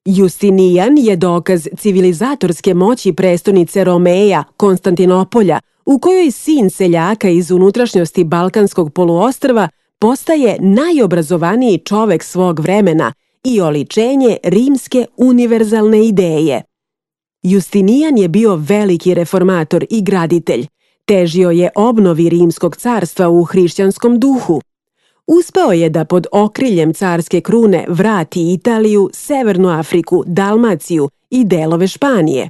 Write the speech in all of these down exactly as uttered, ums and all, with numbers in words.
Justinijan je dokaz civilizatorske moći prestonice Romeja, Konstantinopolja, u kojoj sin seljaka iz unutrašnjosti Balkanskog poluostrva postaje najobrazovaniji čovek svog vremena i oličenje rimske univerzalne ideje. Justinijan je bio veliki reformator i graditelj. Težio je obnovi Rimskog carstva u hrišćanskom duhu. Uspeo je da pod okriljem carske krune vrati Italiju, Severnu Afriku, Dalmaciju i delove Španije.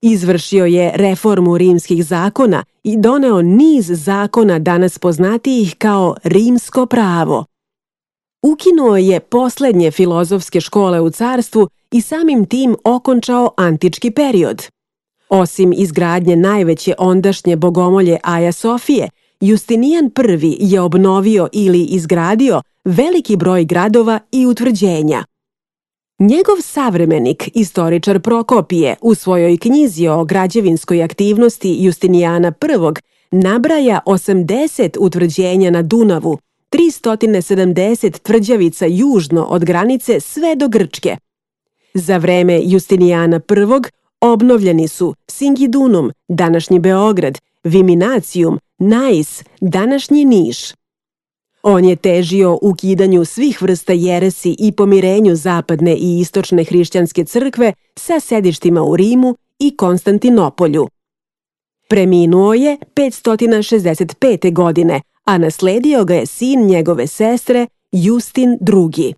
Izvršio je reformu rimskih zakona i doneo niz zakona danas poznatijih kao rimsko pravo. Ukinuo je poslednje filozofske škole u carstvu i samim tim okončao antički period. Osim izgradnje najveće ondašnje bogomolje Aja Sofije, Justinijan prvi je obnovio ili izgradio veliki broj gradova i utvrđenja. Njegov savremenik, istoričar Prokopije, u svojoj knjizi o građevinskoj aktivnosti Justinijana prvog nabraja osamdeset utvrđenja na Dunavu, tristo sedamdeset tvrđavica južno od granice sve do Grčke. Za vreme Justinijana prvog obnovljeni su Singidunum, današnji Beograd, Viminacijum, Nais, današnji Niš. On je težio ukidanju svih vrsta jeresi i pomirenju zapadne i istočne hrišćanske crkve sa sedištima u Rimu i Konstantinopolju. Preminuo je petsto šezdeset pete. godine, a nasledio ga je sin njegove sestre Justin drugi.